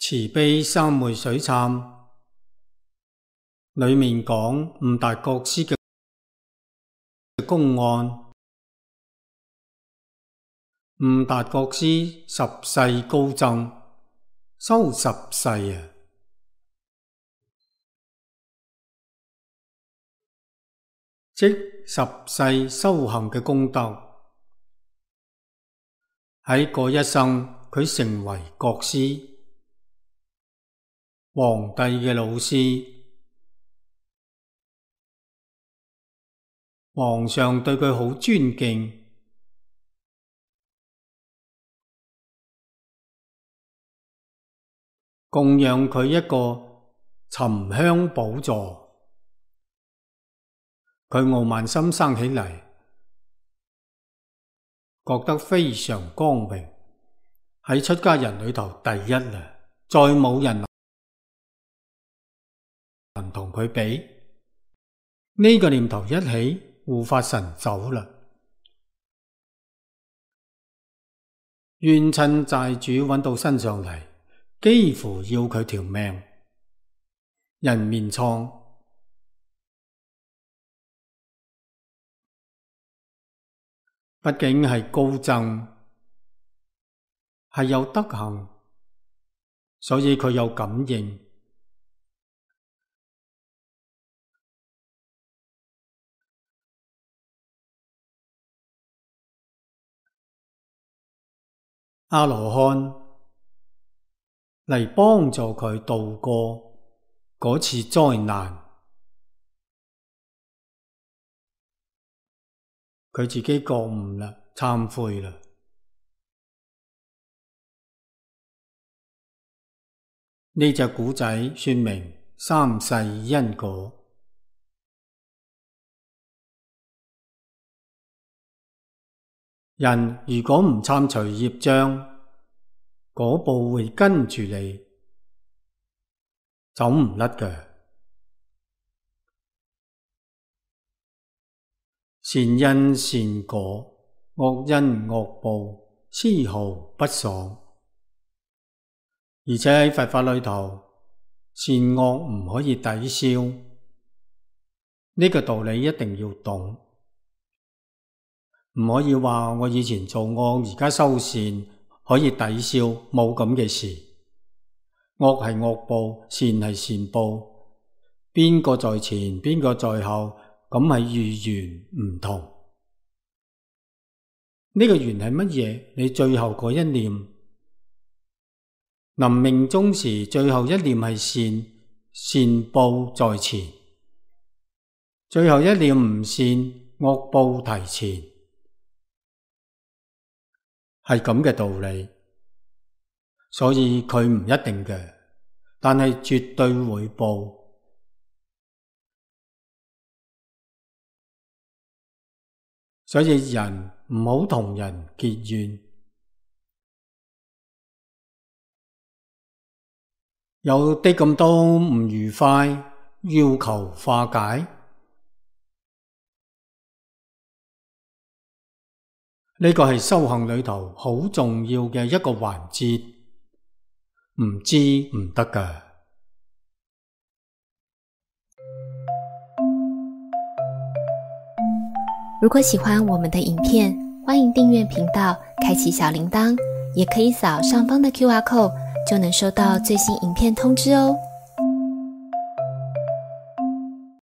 慈悲三昧水懺裏面講悟達國師嘅公案。悟達國師十世高僧，修十世啊，即十世修行嘅功德。喺嗰一生，佢成為國師，皇帝嘅老師，皇上對佢好尊敬，供養佢一個沉香寶座。佢傲慢心生起嚟，覺得非常光榮，喺出家人裏頭第一啦，再冇人能同佢比。呢個念頭一起，護法神走啦，冤親債主揾到身上嚟，幾乎要佢條命，人面瘡。畢竟係高僧，係有德行，所以佢有感應。阿羅漢嚟幫助佢渡過嗰次災難。佢自己覺悟啦，懺悔啦。呢隻古仔說明三世因果。人如果唔懺除業障，果報會跟住你，走唔甩嘅。善因善果，惡因惡報，絲毫不爽。而且喺佛法裏頭，善惡唔可以抵消，呢個道理一定要懂。唔可以話我以前做惡，而家修善可以抵消，冇咁嘅事。惡係惡報，善係善報，邊個在前，邊個在後，咁係遇緣唔同。呢個緣係乜嘢？你最後嗰一念，臨命終時最後一念係善，善報在前；最後一念唔善，惡報提前，係咁嘅道理。所以佢唔一定嘅，但係絕對會報。所以人唔好同人結怨，有啲咁多唔愉快，要求化解。呢個係修行裏頭好重要嘅一個環節，唔知唔得㗎。如果喜歡我們的影片，歡迎訂閱頻道，開啟小鈴鐺，也可以掃上方的QR code，就能收到最新影片通知哦。